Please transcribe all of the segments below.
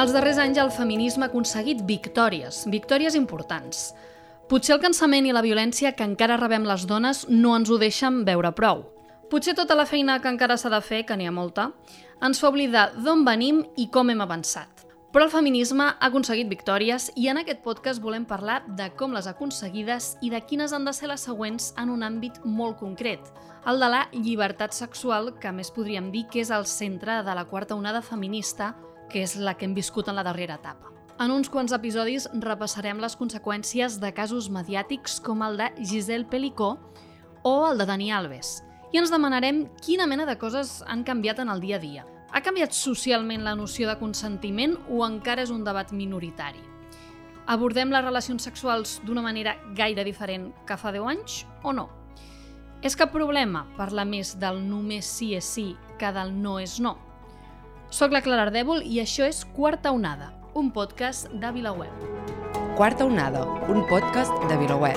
Els darrers anys el feminisme ha aconseguit victòries importants. Potser el cansament i la violència que encara rebem les dones no ens ho deixen veure prou. Potser tota la feina que encara s'ha de fer, que n'hi ha molta, ens fa oblidar d'on venim i com hem avançat. Però el feminisme ha aconseguit victòries i en aquest podcast volem parlar de com les ha aconseguides i de quines han de ser les següents en un àmbit molt concret, el de la llibertat sexual, que a més podríem dir que és el centre de la quarta onada feminista, que és la que hem viscut en la darrera etapa. En uns quants episodis repassarem les conseqüències de casos mediàtics com el de Giselle Pelicó o el de Dani Alves i ens demanarem quina mena de coses han canviat en el dia a dia. Ha canviat socialment la noció de consentiment o encara és un debat minoritari? Abordem les relacions sexuals d'una manera gaire diferent que fa 10 anys o no? És cap problema parlar més del només sí és sí que del no és no? Soc la Clara Ardèvol i això és Quarta Onada, un podcast de VilaWeb. Quarta Onada, un podcast de VilaWeb.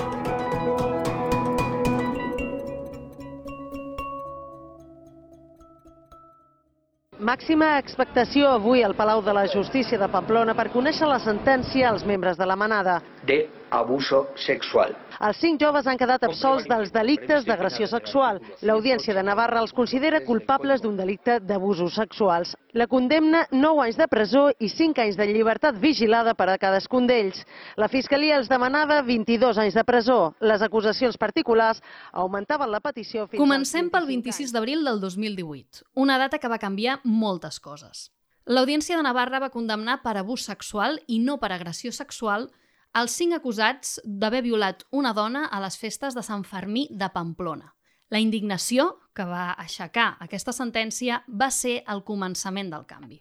Màxima expectació avui al Palau de la Justícia de Pamplona per conèixer la sentència als membres de la manada. De abuso sexual. Els 5 joves han quedat absolts dels delictes d'agressió sexual. L'Audiència de Navarra els considera culpables d'un delicte d'abusos sexuals. La condemna 9 anys de presó i 5 anys de llibertat vigilada per a cadascun d'ells. La Fiscalia els demanava 22 anys de presó. Les acusacions particulars augmentaven la petició fins Comencem pel 26 d'abril del 2018, una data que va canviar moltes coses. L'Audiència de Navarra va condemnar per abús sexual i no per agressió sexual els 5 acusats d'haver violat una dona a les festes de Sant Fermí de Pamplona. La indignació que va aixecar aquesta sentència va ser el començament del canvi.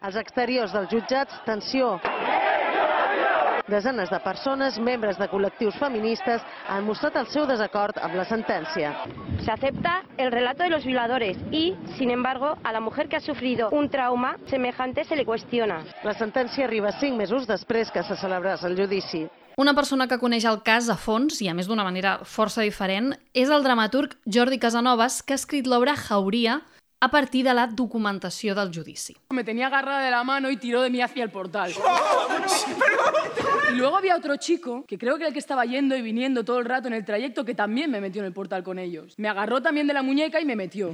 Als exteriors dels jutjats, tensió. Desenes de persones, membres de col·lectius feministes, han mostrat el seu desacord amb la sentència. Se acepta el relato de los violadores y, sin embargo, a la mujer que ha sufrido un trauma semejante se le cuestiona. La sentència arriba 5 mesos després que se celebrés el judici. Una persona que coneix el cas a fons, i a més d'una manera força diferent, és el dramaturg Jordi Casanovas, que ha escrit l'obra Jauria a partir de la documentació del judici. Me tenía agarrada de la mano y tiró de mí hacia el portal. Y luego había otro chico, que creo que era el que estaba yendo y viniendo todo el rato en el trayecto, que también me metió en el portal con ellos. Me agarró también de la muñeca y me metió.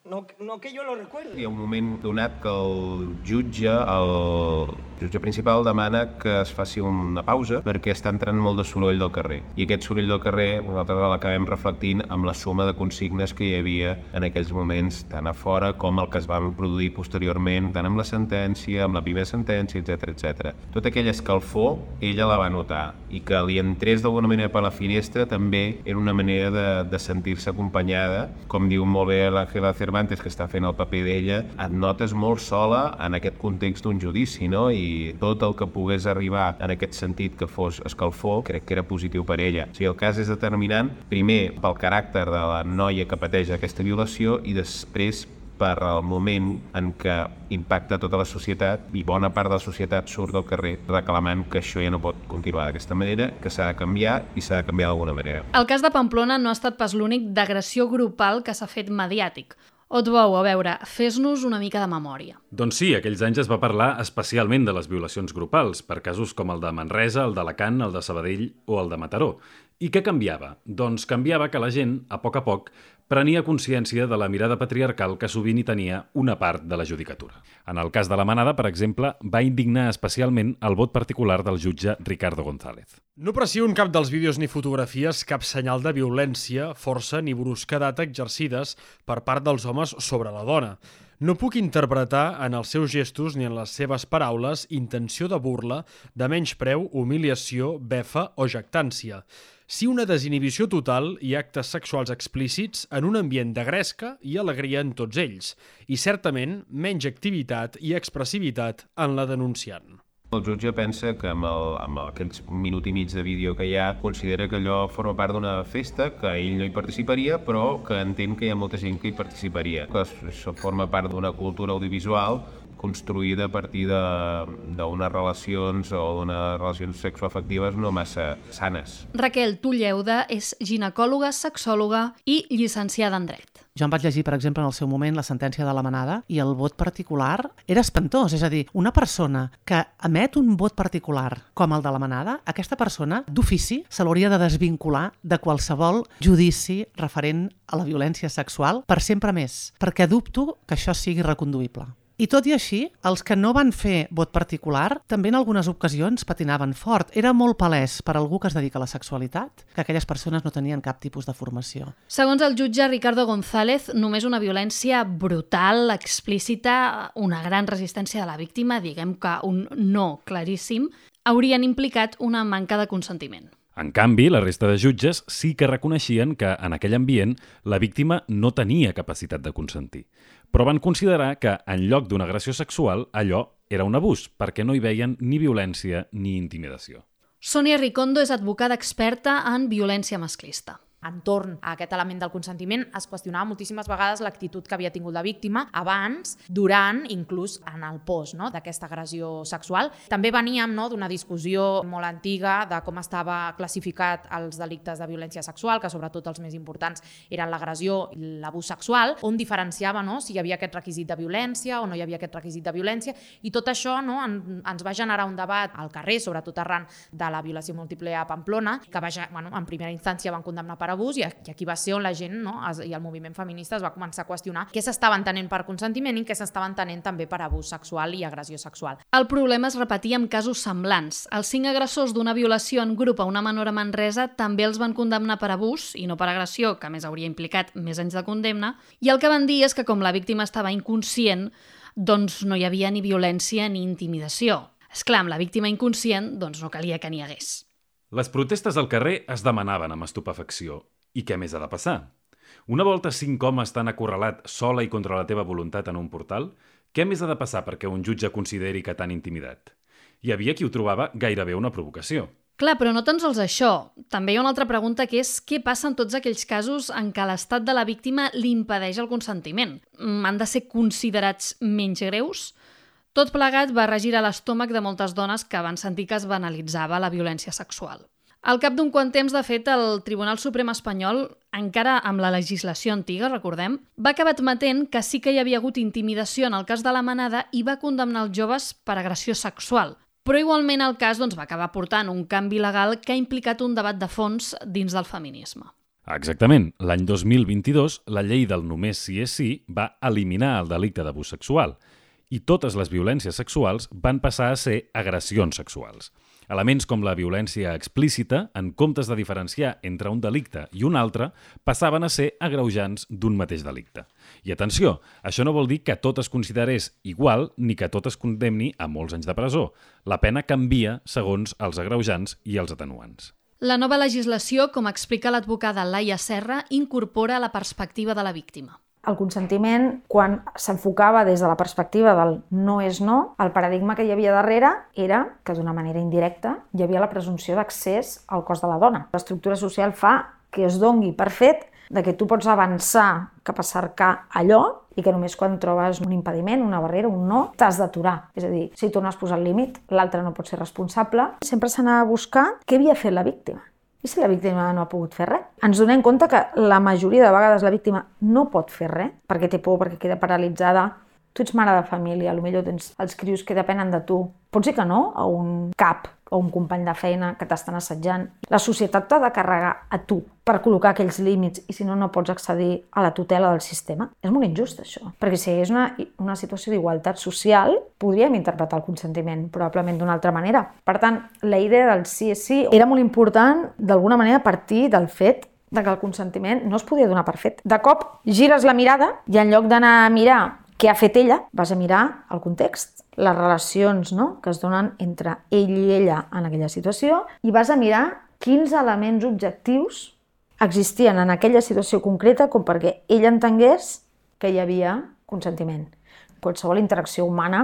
No que jo lo recuerdo. Hi ha un moment donat que el jutge principal demana que es faci una pausa perquè està entrant molt de soroll del carrer. I aquest soroll del carrer nosaltres l'acabem reflectint amb la suma de consignes que hi havia en aquells moments, tant a fora com el que es van produir posteriorment, tant amb la sentència, amb la primera sentència, etc. Tota aquella escalfor, ella la va notar, i que li entrés d'alguna manera per la finestra també era una manera de sentir-se acompanyada. Com diu molt bé l'Àngela Cervantes, que està fent el paper d'ella, et notes molt sola en aquest context d'un judici, no? I tot el que pogués arribar en aquest sentit que fos escalfor, crec que era positiu per ella. O sigui, el cas és determinant, primer pel caràcter de la noia que pateix aquesta violació i després per al moment en què impacta tota la societat i bona part de la societat surt del carrer reclamant que això ja no pot continuar d'aquesta manera, que s'ha de canviar i s'ha de canviar d'alguna manera. El cas de Pamplona no ha estat pas l'únic d'agressió grupal que s'ha fet mediàtic. Otbou, a veure, fes-nos una mica de memòria. Doncs sí, aquells anys es va parlar especialment de les violacions grupals, per casos com el de Manresa, el d'Alacant, el de Sabadell o el de Mataró. I què canviava? Doncs canviava que la gent, a poc, prenia consciència de la mirada patriarcal que sovint hi tenia una part de la judicatura. En el cas de la manada, per exemple, va indignar especialment el vot particular del jutge Ricardo González. No aprecio en cap dels vídeos ni fotografies cap senyal de violència, força ni brusquedat exercides per part dels homes sobre la dona. No puc interpretar en els seus gestos ni en les seves paraules intenció de burla, de menyspreu, humiliació, befa o jactància. Sí una desinhibició total i actes sexuals explícits en un ambient de gresca i alegria en tots ells, i certament menys activitat i expressivitat en la denunciant. El jutge pensa que amb aquells minut i mig de vídeo que hi ha, considera que allò forma part d'una festa, que ell no hi participaria, però que entén que hi ha molta gent que hi participaria. Que això forma part d'una cultura audiovisual construïda a partir d'unes relacions o d'unes relacions sexoafectives no massa sanes. Raquel Tulleuda és ginecòloga, sexòloga i llicenciada en Dret. Jo em vaig llegir, per exemple, en el seu moment la sentència de la Manada i el vot particular era espantós. És a dir, una persona que emet un vot particular com el de la Manada, aquesta persona, d'ofici, se l'hauria de desvincular de qualsevol judici referent a la violència sexual per sempre més, perquè dubto que això sigui reconduïble. I tot i així, els que no van fer vot particular també en algunes ocasions patinaven fort. Era molt palès per algú que es dedica a la sexualitat que aquelles persones no tenien cap tipus de formació. Segons el jutge Ricardo González, només una violència brutal, explícita, una gran resistència de la víctima, diguem que un no claríssim, haurien implicat una manca de consentiment. En canvi, la resta de jutges sí que reconeixien que en aquell ambient la víctima no tenia capacitat de consentir, però van considerar que en lloc d'una agressió sexual allò era un abús, perquè no hi veien ni violència ni intimidació. Sònia Ricondo és advocada experta en violència masclista. Entorn a aquest element del consentiment es qüestionava moltíssimes vegades l'actitud que havia tingut la víctima abans, durant, inclús en el post, no?, d'aquesta agressió sexual. També veníem d'una discussió molt antiga de com estava classificat els delictes de violència sexual, que sobretot els més importants eren l'agressió i l'abús sexual, on diferenciava si hi havia aquest requisit de violència o no hi havia aquest requisit de violència, i tot això ens va generar un debat al carrer, sobretot arran de la violació múltiple a Pamplona, que en primera instància van condemnar per abús, i aquí va ser on la gent i el moviment feminista es va començar a qüestionar què s'estava entenent per consentiment i què s'estava entenent també per abús sexual i agressió sexual. El problema es repetia amb casos semblants. Els 5 agressors d'una violació en grup a una menor a Manresa també els van condemnar per abús i no per agressió, que a més hauria implicat més anys de condemna, i el que van dir és que com la víctima estava inconscient, doncs no hi havia ni violència ni intimidació. Esclar, amb la víctima inconscient, doncs no calia que n'hi hagués. Les protestes al carrer es demanaven amb estupefacció. I què més ha de passar? Una volta 5 homes t'han acorralat sola i contra la teva voluntat en un portal? Què més ha de passar perquè un jutge consideri que t'han intimidat? Hi havia qui ho trobava gairebé una provocació. Clar, però no tan sols això. També hi ha una altra pregunta que és què passa en tots aquells casos en què l'estat de la víctima li impedeix el consentiment? Han de ser considerats menys greus? Tot plegat va regirar l'estómac de moltes dones que van sentir que es banalitzava la violència sexual. Al cap d'un quant temps, de fet, el Tribunal Suprem espanyol, encara amb la legislació antiga, recordem, va acabar admetent que sí que hi havia hagut intimidació en el cas de la Manada i va condemnar els joves per agressió sexual. Però igualment el cas va acabar portant un canvi legal que ha implicat un debat de fons dins del feminisme. Exactament. L'any 2022, la llei del només sí és sí va eliminar el delicte d'abús sexual i totes les violències sexuals van passar a ser agressions sexuals. Elements com la violència explícita, en comptes de diferenciar entre un delicte i un altre, passaven a ser agreujants d'un mateix delicte. I atenció, això no vol dir que tot es considerés igual ni que tot es condemni a molts anys de presó. La pena canvia segons els agreujants i els atenuants. La nova legislació, com explica l'advocada Laia Serra, incorpora la perspectiva de la víctima. El consentiment, quan s'enfocava des de la perspectiva del no és no, el paradigma que hi havia darrere era que d'una manera indirecta hi havia la presumpció d'accés al cos de la dona. L'estructura social fa que es dongui per fet de que tu pots avançar cap a cercar allò i que només quan trobes un impediment, una barrera, un no, t'has d'aturar. És a dir, si tu no has posat límit, l'altre no pot ser responsable. Sempre s'anava a buscar què havia fet la víctima. I si la víctima no ha pogut fer res? Ens donem compte que la majoria de vegades la víctima no pot fer res perquè té por, perquè queda paralitzada. Tu ets mare de família, potser tens els crios que depenen de tu. Pots dir que no a un cap o un company de feina que t'estan assetjant. La societat t'ha de carregar a tu per col·locar aquells límits i si no, no pots accedir a la tutela del sistema. És molt injust, això. Perquè si és una situació d'igualtat social, podríem interpretar el consentiment probablement d'una altra manera. Per tant, la idea del sí és sí era molt important, d'alguna manera, a partir del fet que el consentiment no es podia donar per fet. De cop, gires la mirada i en lloc d'anar a mirar què ha fet ella, vas a mirar el context, les relacions que es donen entre ell i ella en aquella situació i vas a mirar quins elements objectius existien en aquella situació concreta com perquè ell entengués que hi havia consentiment. Qualsevol interacció humana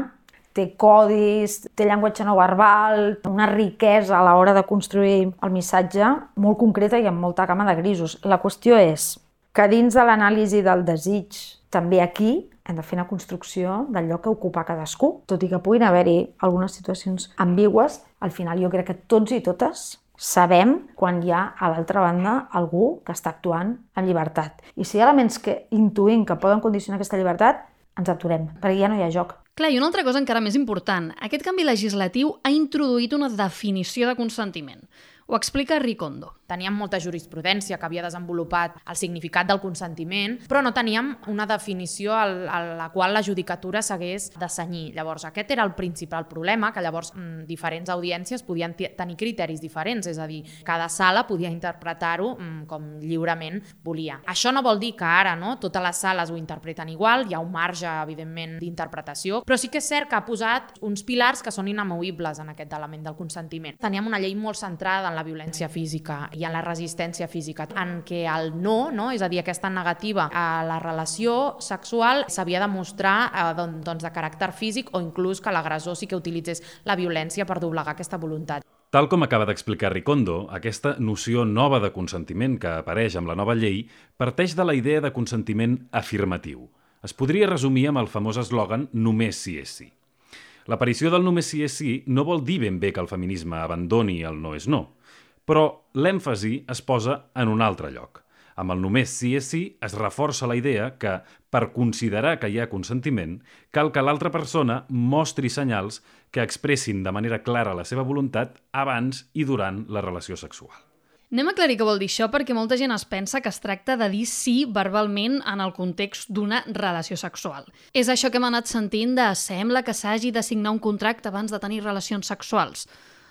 té codis, té llenguatge no verbal, una riquesa a l'hora de construir el missatge molt concreta i amb molta gamma de grisos. La qüestió és que dins de l'anàlisi del desig, també aquí hem de fer una construcció del lloc que ocupa cadascú. Tot i que puguin haver-hi algunes situacions ambigües, al final jo crec que tots i totes Sabem quan hi ha a l'altra banda algú que està actuant amb llibertat. I si hi ha elements que intuïm que poden condicionar aquesta llibertat, ens aturem, perquè ja no hi ha joc. Clar, i una altra cosa encara més important. Aquest canvi legislatiu ha introduït una definició de consentiment. Ho explica Ricondo. Teníem molta jurisprudència que havia desenvolupat el significat del consentiment, però no teníem una definició a la qual la judicatura s'hagués de cenyir. Llavors, aquest era el principal problema, que llavors diferents audiències podien tenir criteris diferents, és a dir, cada sala podia interpretar-ho com lliurement volia. Això no vol dir que ara totes les sales ho interpreten igual, hi ha un marge, evidentment, d'interpretació, però sí que és cert que ha posat uns pilars que són inamovibles en aquest element del consentiment. Teníem una llei molt centrada en la violència física i en la resistència física, en què el no, és a dir, aquesta negativa a la relació sexual s'havia de mostrar de caràcter físic o inclús que l'agressor sí que utilitzés la violència per doblegar aquesta voluntat. Tal com acaba d'explicar Ricondo, aquesta noció nova de consentiment que apareix amb la nova llei parteix de la idea de consentiment afirmatiu. Es podria resumir amb el famós eslògan «només si és sí». L'aparició del només si és sí no vol dir ben bé que el feminisme abandoni el no és no, però l'èmfasi es posa en un altre lloc. Amb el només sí és sí es reforça la idea que, per considerar que hi ha consentiment, cal que l'altra persona mostri senyals que expressin de manera clara la seva voluntat abans i durant la relació sexual. Anem a aclarir què vol dir això perquè molta gent es pensa que es tracta de dir sí verbalment en el context d'una relació sexual. És això que hem anat sentint de sembla que s'hagi de signar un contracte abans de tenir relacions sexuals.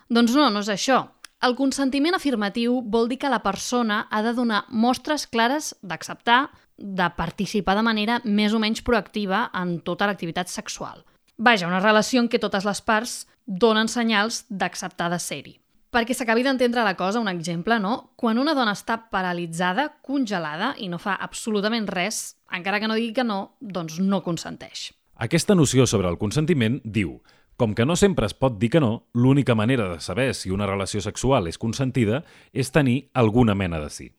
Doncs no és això. El consentiment afirmatiu vol dir que la persona ha de donar mostres clares d'acceptar, de participar de manera més o menys proactiva en tota l'activitat sexual. Vaja, una relació en què totes les parts donen senyals d'acceptar de ser-hi. Perquè s'acabi d'entendre la cosa, un exemple, Quan una dona està paralitzada, congelada i no fa absolutament res, encara que no digui que no, doncs no consenteix. Aquesta noció sobre el consentiment diu: com que no sempre es pot dir que no, l'única manera de saber si una relació sexual és consentida és tenir alguna mena de sí.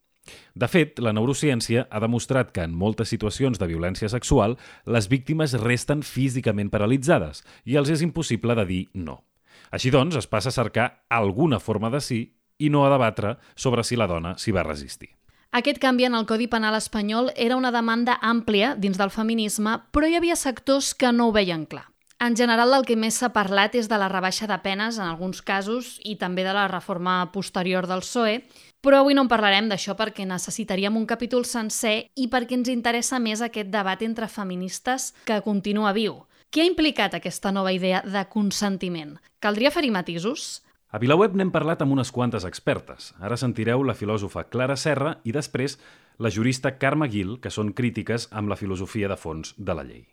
De fet, la neurociència ha demostrat que en moltes situacions de violència sexual les víctimes resten físicament paralitzades i els és impossible de dir no. Així doncs, es passa a cercar alguna forma de sí i no a debatre sobre si la dona s'hi va resistir. Aquest canvi en el Codi Penal espanyol era una demanda àmplia dins del feminisme, però hi havia sectors que no ho veien clar. En general, del que més s'ha parlat és de la rebaixa de penes en alguns casos i també de la reforma posterior del PSOE, però avui no en parlarem d'això perquè necessitaríem un capítol sencer i perquè ens interessa més aquest debat entre feministes que continua viu. Què ha implicat aquesta nova idea de consentiment? Caldria fer-hi matisos? A VilaWeb n'hem parlat amb unes quantes expertes. Ara sentireu la filòsofa Clara Serra i després la jurista Carme Gil, que són crítiques amb la filosofia de fons de la llei.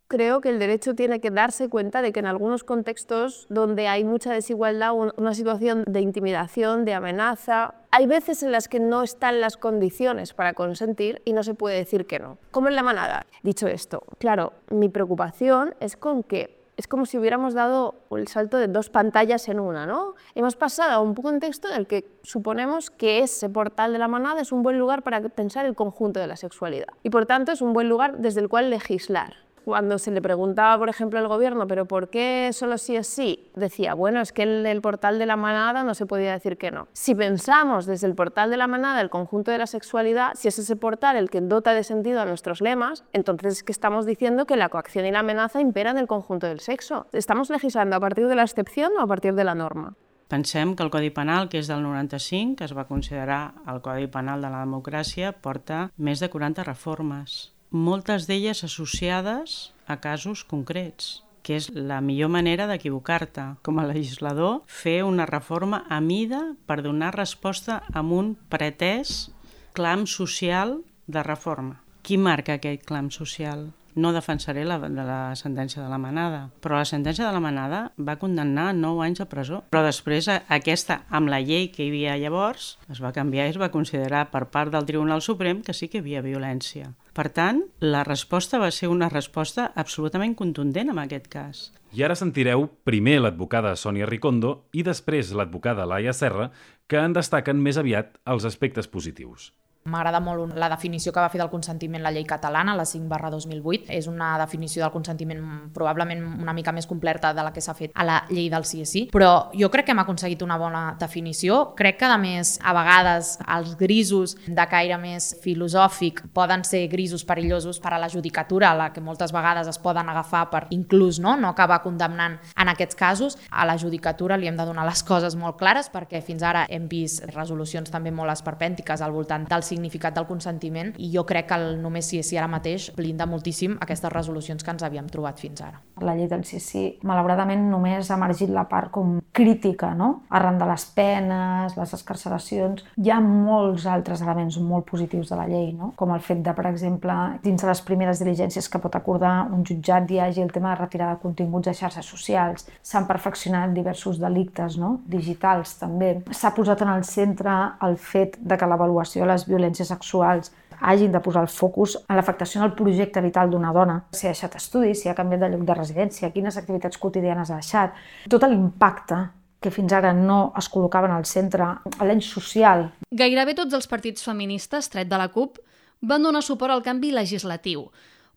Creo que el derecho tiene que darse cuenta de que en algunos contextos donde hay mucha desigualdad, una situación de intimidación, de amenaza, hay veces en las que no están las condiciones para consentir y no se puede decir que no. Como en la manada. Dicho esto, claro, mi preocupación es con que es como si hubiéramos dado el salto de dos pantallas en una, ¿no? Hemos pasado a un contexto en el que suponemos que ese portal de la manada es un buen lugar para pensar el conjunto de la sexualidad y por tanto es un buen lugar desde el cual legislar. Cuando se le preguntaba, por ejemplo, al gobierno, ¿pero por qué solo sí es sí? Decía, bueno, es que en el portal de la manada no se podía decir que no. Si pensamos desde el portal de la manada el conjunto de la sexualidad, si es ese portal el que dota de sentido a nuestros lemas, entonces es que estamos diciendo que la coacción y la amenaza imperan el conjunto del sexo. ¿Estamos legislando a partir de la excepción o a partir de la norma? Pensem que el Codi Penal, que és del 95, que es va considerar el Codi Penal de la democràcia, porta més de 40 reformes. Moltes d'elles associades a casos concrets, que és la millor manera d'equivocar-te. Com a legislador, fer una reforma a mida per donar resposta a un pretès clam social de reforma. Qui marca aquest clam social? No defensaré la sentència de la Manada, però la sentència de la Manada va condemnar 9 anys de presó. Però després aquesta, amb la llei que hi havia llavors, es va canviar i es va considerar per part del Tribunal Suprem que sí que hi havia violència. Per tant, la resposta va ser una resposta absolutament contundent en aquest cas. I ara sentireu primer l'advocada Sònia Ricondo i després l'advocada Laia Serra, que en destaquen més aviat els aspectes positius. M'agrada molt la definició que va fer del consentiment la llei catalana, la 5/2008. És una definició del consentiment probablement una mica més completa de la que s'ha fet a la llei del sí és sí, però jo crec que hem aconseguit una bona definició. Crec que, a més, a vegades els grisos de caire més filosòfic poden ser grisos perillosos per a la judicatura, a la que moltes vegades es poden agafar per inclús no acabar condemnant en aquests casos. A la judicatura li hem de donar les coses molt clares, perquè fins ara hem vist resolucions també molt esperpèntiques al voltant del significat del consentiment, i jo crec que el només sí és sí ara mateix blinda moltíssim aquestes resolucions que ens havíem trobat fins ara. La llei del sí és sí, malauradament, només ha emergit la part com crítica, no? Arran de les penes, les excarceracions. Hi ha molts altres elements molt positius de la llei, no? Com el fet de, per exemple, dins de les primeres diligències que pot acordar un jutjat hi hagi el tema de retirada de continguts a xarxes socials. S'han perfeccionat diversos delictes, no? Digitals també. S'ha posat en el centre el fet de que l'avaluació de les violències sexuals hagin de posar el focus en l'afectació en el projecte vital d'una dona. Si ha deixat estudis, si ha canviat de lloc de residència, quines activitats quotidianes ha deixat. Tot l'impacte que fins ara no es col·locaven al centre, l'any social. Gairebé tots els partits feministes, tret de la CUP, van donar suport al canvi legislatiu.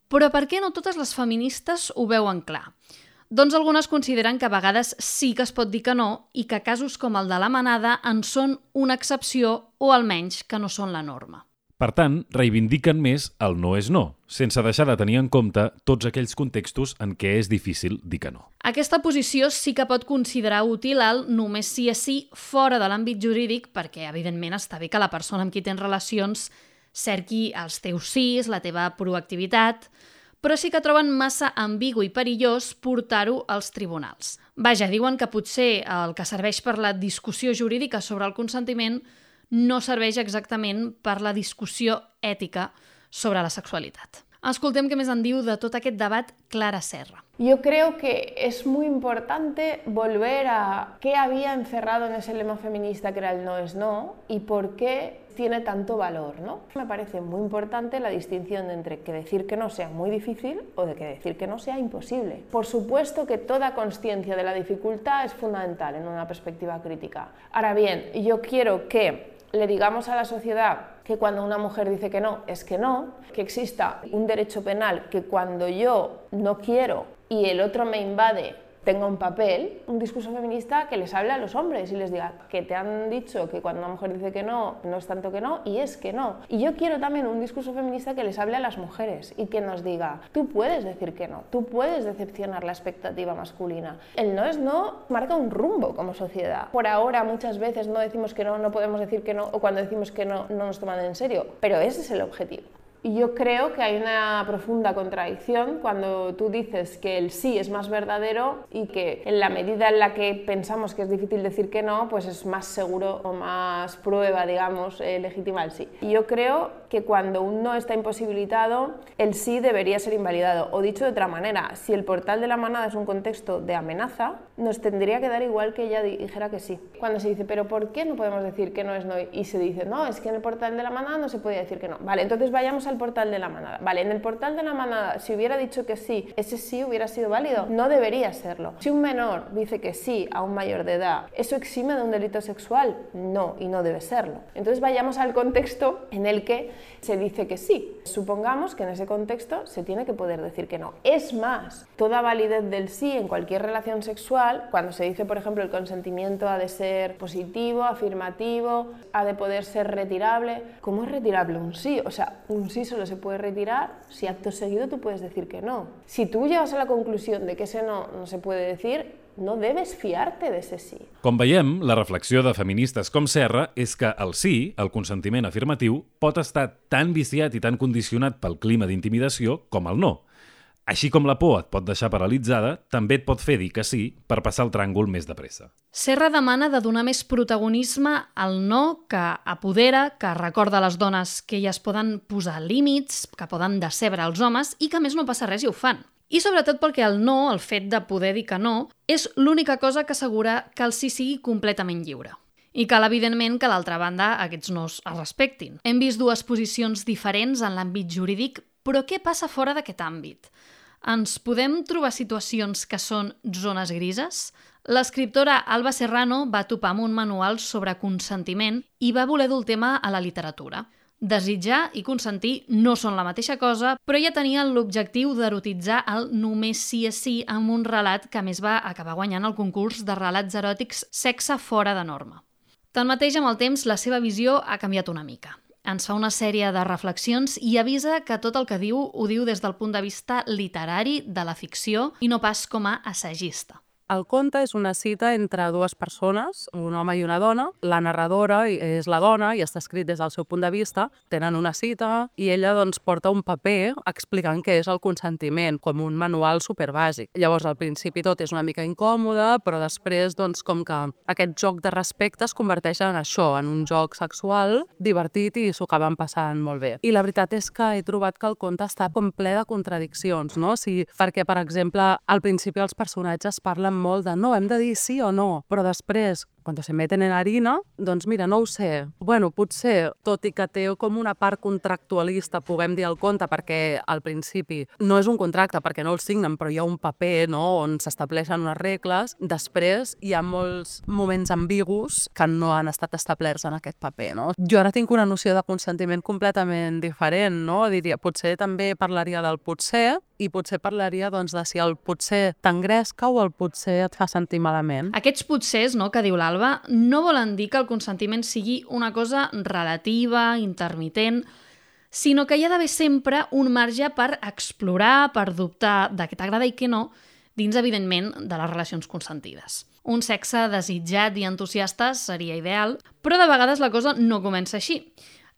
Però per què no totes les feministes ho veuen clar? Doncs algunes consideren que a vegades sí que es pot dir que no i que casos com el de la manada en són una excepció o almenys que no són la norma. Per tant, reivindiquen més el no és no, sense deixar de tenir en compte tots aquells contextos en què és difícil dir que no. Aquesta posició sí que pot considerar útil el només sí és sí fora de l'àmbit jurídic, perquè evidentment està bé que la persona amb qui tens relacions cerqui els teus sís, la teva proactivitat, però sí que troben massa ambigu i perillós portar-ho als tribunals. Vaja, diuen que potser el que serveix per la discussió jurídica sobre el consentiment no serveix exactament per la discussió ètica sobre la sexualitat. Escoltem què més en diu de tot aquest debat Clara Serra. Yo creo que es muy importante volver a qué había encerrado en ese lema feminista que era el no es no y por qué tiene tanto valor, ¿no? Me parece muy importante la distinción entre que decir que no sea muy difícil o de que decir que no sea imposible. Por supuesto que toda consciencia de la dificultad es fundamental en una perspectiva crítica. Ahora bien, yo quiero que le digamos a la sociedad que cuando una mujer dice que no, es que exista un derecho penal que cuando yo no quiero y el otro me invade tenga un papel, un discurso feminista que les hable a los hombres y les diga que te han dicho que cuando una mujer dice que no, no es tanto que no, y es que no. Y yo quiero también un discurso feminista que les hable a las mujeres y que nos diga, tú puedes decir que no, tú puedes decepcionar la expectativa masculina. El no es no marca un rumbo como sociedad. Por ahora muchas veces no decimos que no, no podemos decir que no, o cuando decimos que no, no nos toman en serio, pero ese es el objetivo. Y yo creo que hay una profunda contradicción cuando tú dices que el sí es más verdadero y que en la medida en la que pensamos que es difícil decir que no, pues es más seguro o más prueba, digamos, legítima el sí. Y yo creo que cuando un no está imposibilitado, el sí debería ser invalidado. O dicho de otra manera, si el portal de la manada es un contexto de amenaza, nos tendría que dar igual que ella dijera que sí. Cuando se dice, pero ¿por qué no podemos decir que no es no? Y se dice, no, es que en el portal de la manada no se podía decir que no. Vale, entonces vayamos al portal de la manada. Vale, en el portal de la manada, si hubiera dicho que sí, ese sí hubiera sido válido. No debería serlo. Si un menor dice que sí a un mayor de edad, ¿eso exime de un delito sexual? No, y no debe serlo. Entonces vayamos al contexto en el que se dice que sí. Supongamos que en ese contexto se tiene que poder decir que no. Es más, toda validez del sí en cualquier relación sexual, cuando se dice, por ejemplo, el consentimiento ha de ser positivo, afirmativo, ha de poder ser retirable. ¿Cómo es retirable un sí? O sea, un sí solo se puede retirar si acto seguido tú puedes decir que no. Si tú llegas a la conclusión de que ese no se puede decir, no debes fiarte de ese sí. Com veiem, la reflexió de feministes com Serra és que el sí, el consentiment afirmatiu, pot estar tan viciat i tan condicionat pel clima d'intimidació com el no. Així com la por et pot deixar paralitzada, també et pot fer dir que sí per passar el tràngol més de pressa. Serra demana de donar més protagonisme al no, que apodera, que recorda a les dones que elles poden posar límits, que poden decebre els homes i que a més no passa res i ho fan. I sobretot perquè el no, el fet de poder dir que no, és l'única cosa que assegura que el sí sigui completament lliure. I cal, evidentment, que a l'altra banda aquests nos es respectin. Hem vist dues posicions diferents en l'àmbit jurídic, però què passa fora d'aquest àmbit? Ens podem trobar situacions que són zones grises? L'escriptora Alba Serrano va topar amb un manual sobre consentiment i va voler dur el tema a la literatura. Desitjar i consentir no són la mateixa cosa, però ja tenien l'objectiu d'erotitzar el només sí és sí amb un relat que a més va acabar guanyant el concurs de relats eròtics Sexe fora de norma. Tanmateix, amb el temps, la seva visió ha canviat una mica. Ens fa una sèrie de reflexions i avisa que tot el que diu ho diu des del punt de vista literari de la ficció i no pas com a assagista. El conte és una cita entre dues persones, un home i una dona. La narradora és la dona i està escrit des del seu punt de vista. Tenen una cita i ella porta un paper explicant què és el consentiment, com un manual superbàsic. Llavors, al principi tot és una mica incòmode, però després, com que aquest joc de respecte es converteix en això, en un joc sexual divertit i s'ho acaben passant molt bé. I la veritat és que he trobat que el conte està com ple de contradiccions, no? Perquè, per exemple, al principi els personatges parlen molt de no, hem de dir sí o no, però després, quan se meten en harina, doncs mira, no ho sé. Bueno, potser, tot i que té com una part contractualista, puguem dir el conte, perquè al principi no és un contracte, perquè no el signen, però hi ha un paper, no?, on s'estableixen unes regles. Després hi ha molts moments ambigus que no han estat establerts en aquest paper, no? Jo ara tinc una noció de consentiment completament diferent, no? Diria, potser també parlaria del potser, i potser parlaria de si el potser t'engresca o el potser et fa sentir malament. Aquests potsers, no, que diu l'Alba, no volen dir que el consentiment sigui una cosa relativa, intermitent, sinó que hi ha d'haver sempre un marge per explorar, per dubtar de què t'agrada i què no, dins, evidentment, de les relacions consentides. Un sexe desitjat i entusiasta seria ideal, però de vegades la cosa no comença així.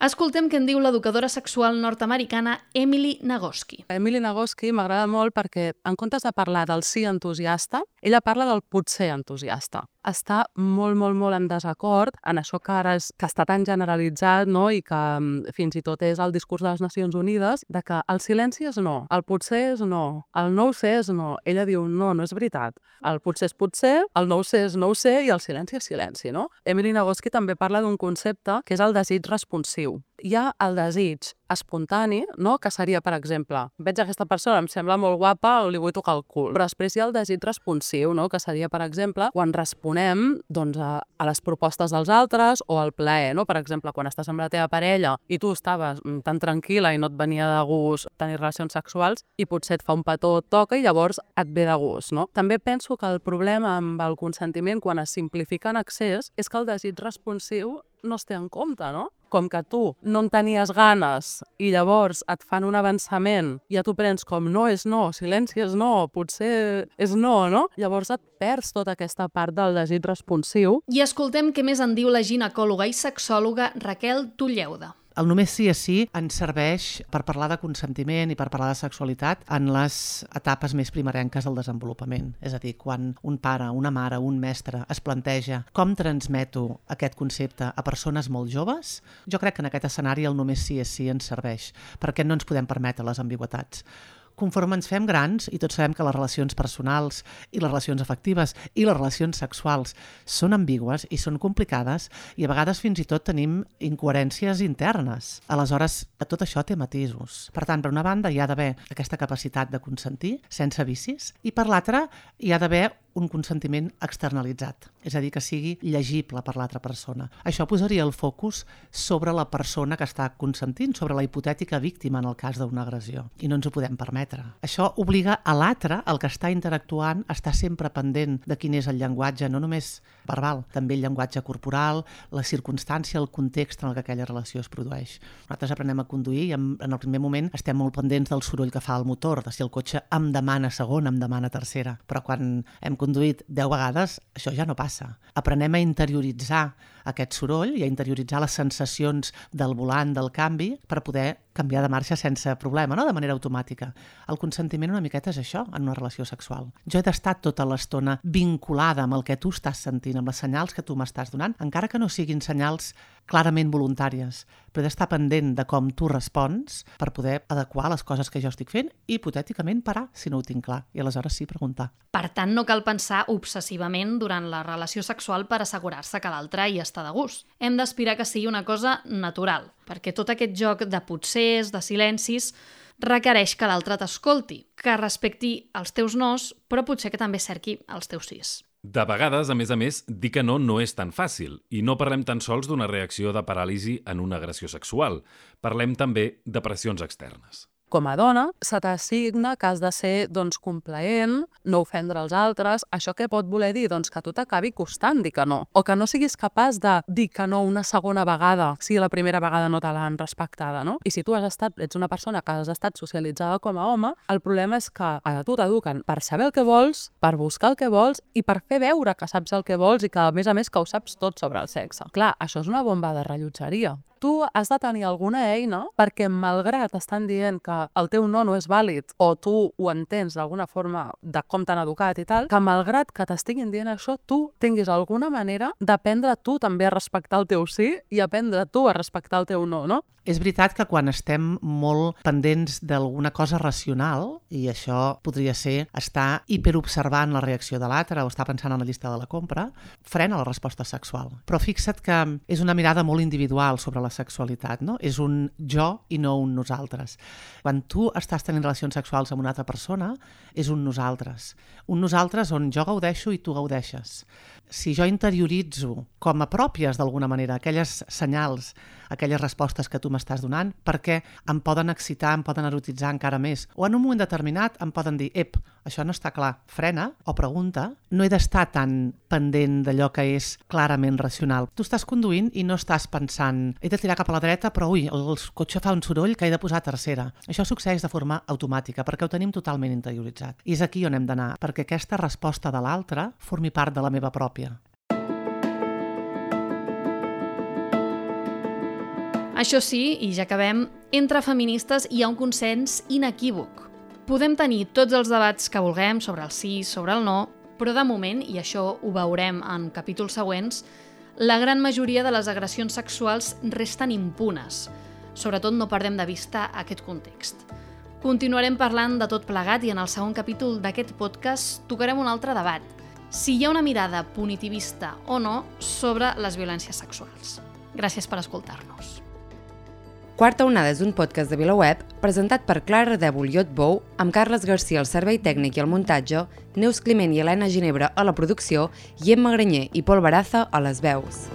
Escoltem què en diu l'educadora sexual nord-americana Emily Nagoski. Emily Nagoski m'agrada molt perquè, en comptes de parlar del sí entusiasta, ella parla del potser entusiasta. Està molt, molt, molt en desacord en això que ara que està tan generalitzat, no? I que fins i tot és el discurs de les Nacions Unides, de que el silenci és no, el potser és no, el no ho sé és no. Ella diu, no, no és veritat. El potser és potser, el no ho sé és no ho sé i el silenci és silenci, no? Emily Nagoski també parla d'un concepte que és el desig responsiu. Hi ha el desig espontani, no? Que seria, per exemple, veig aquesta persona, em sembla molt guapa, li vull tocar el cul. Però després hi ha el desig responsiu, no? Que seria, per exemple, quan responem a les propostes dels altres o al plaer, no? Per exemple, quan estàs amb la teva parella i tu estaves tan tranquil·la i no et venia de gust tenir relacions sexuals i potser et fa un petó, et toca i llavors et ve de gust, no? També penso que el problema amb el consentiment quan es simplifica en excés és que el desig responsiu no es té en compte, no? Com que tu no en tenies ganes i llavors et fan un avançament i ja t'ho prens com no és no, silenci és no, potser és no, no? Llavors et perds tota aquesta part del desig responsiu. I escoltem què més en diu la ginecòloga i sexòloga Raquel Tulleuda. El només sí és sí ens serveix per parlar de consentiment i per parlar de sexualitat en les etapes més primerenques del desenvolupament. És a dir, quan un pare, una mare, un mestre es planteja com transmeto aquest concepte a persones molt joves, jo crec que en aquest escenari el només sí és sí ens serveix, perquè no ens podem permetre les ambigüitats. Conforme ens fem grans, i tots sabem que les relacions personals i les relacions afectives i les relacions sexuals són ambigües i són complicades i a vegades fins i tot tenim incoherències internes. Aleshores, tot això té matisos. Per tant, per una banda hi ha d'haver aquesta capacitat de consentir sense vicis i per l'altra hi ha d'haver un consentiment externalitzat, és a dir, que sigui llegible per l'altra persona. Això posaria el focus sobre la persona que està consentint, sobre la hipotètica víctima en el cas d'una agressió, i no ens ho podem permetre. Això obliga a l'altre, el que està interactuant, a estar sempre pendent de quin és el llenguatge, no només verbal, també el llenguatge corporal, la circumstància, el context en el que aquella relació es produeix. Nosaltres aprenem a conduir i en el primer moment estem molt pendents del soroll que fa el motor, de si el cotxe em demana segona, em demana tercera, però quan hem conduït 10 vegades, això ja no passa. Aprenem a interioritzar aquest soroll i a interioritzar les sensacions del volant, del canvi, per poder canviar de marxa sense problema, no? De manera automàtica. El consentiment una miqueta és això, en una relació sexual. Jo he d'estar tota l'estona vinculada amb el que tu estàs sentint, amb les senyals que tu m'estàs donant, encara que no siguin senyals clarament voluntàries, però he d'estar pendent de com tu respons per poder adequar les coses que jo estic fent i, hipotèticament, parar, si no ho tinc clar, i aleshores sí preguntar. Per tant, no cal pensar obsessivament durant la relació sexual per assegurar-se que l'altre hi està de gust. Hem d'aspirar que sigui una cosa natural, perquè tot aquest joc de potsers, de silencis, requereix que l'altre t'escolti, que respecti els teus nos, però potser que també cerqui els teus sís. De vegades, a més, dir que no és tan fàcil i no parlem tan sols d'una reacció de paràlisi en una agressió sexual. Parlem també de pressions externes. Com a dona, se t'assigna que has de ser complaent, no ofendre els altres. Això què pot voler dir? Doncs que a tu t'acabi costant dir que no. O que no siguis capaç de dir que no una segona vegada, si la primera vegada no te l'han respectada, no? I si tu ets una persona que has estat socialitzada com a home, el problema és que a tu t'eduquen per saber el que vols, per buscar el que vols i per fer veure que saps el que vols i que, a més, que ho saps tot sobre el sexe. Clar, això és una bomba de rellotgeria. Tu has de tenir alguna eina perquè, malgrat estan dient que el teu no és vàlid o tu ho entens d'alguna forma de com t'han educat i tal, que malgrat que t'estiguin dient això, tu tinguis alguna manera d'aprendre tu també a respectar el teu sí i aprendre tu a respectar el teu no, no? És veritat que quan estem molt pendents d'alguna cosa racional, i això podria ser estar hiperobservant la reacció de l'altre o estar pensant en la llista de la compra, frena la resposta sexual. Però fixa't que és una mirada molt individual sobre la sexualitat, no? És un jo i no un nosaltres. Quan tu estàs tenint relacions sexuals amb una altra persona, és un nosaltres. Un nosaltres on jo gaudeixo i tu gaudeixes. Si jo interioritzo com a pròpies d'alguna manera aquelles senyals, aquelles respostes que tu m'estàs donant, perquè em poden excitar, em poden erotitzar encara més, o en un moment determinat em poden dir això no està clar, frena o pregunta, no he d'estar tan pendent d'allò que és clarament racional. Tu estàs conduint i no estàs pensant he de tirar cap a la dreta, però el cotxe fa un soroll que he de posar a tercera. Això succeeix de forma automàtica, perquè ho tenim totalment interioritzat. I és aquí on hem d'anar, perquè aquesta resposta de l'altre formi part de la meva pròpia. Això sí, i ja acabem, entre feministes hi ha un consens inequívoc. Podem tenir tots els debats que vulguem sobre el sí, sobre el no, però de moment, i això ho veurem en capítols següents, la gran majoria de les agressions sexuals resten impunes. Sobretot no perdem de vista aquest context. Continuarem parlant de tot plegat i en el segon capítol d'aquest podcast tocarem un altre debat. Si hi ha una mirada punitivista o no sobre les violències sexuals. Gràcies per escoltar-nos. Quarta onada és un podcast de VilaWeb presentat per Clara Ardèvol i Ot Bou, amb Carles Garcia al servei tècnic i al muntatge, Neus Climent i Helena Ginebra a la producció i Emma Granyer i Pol Baraza a les veus.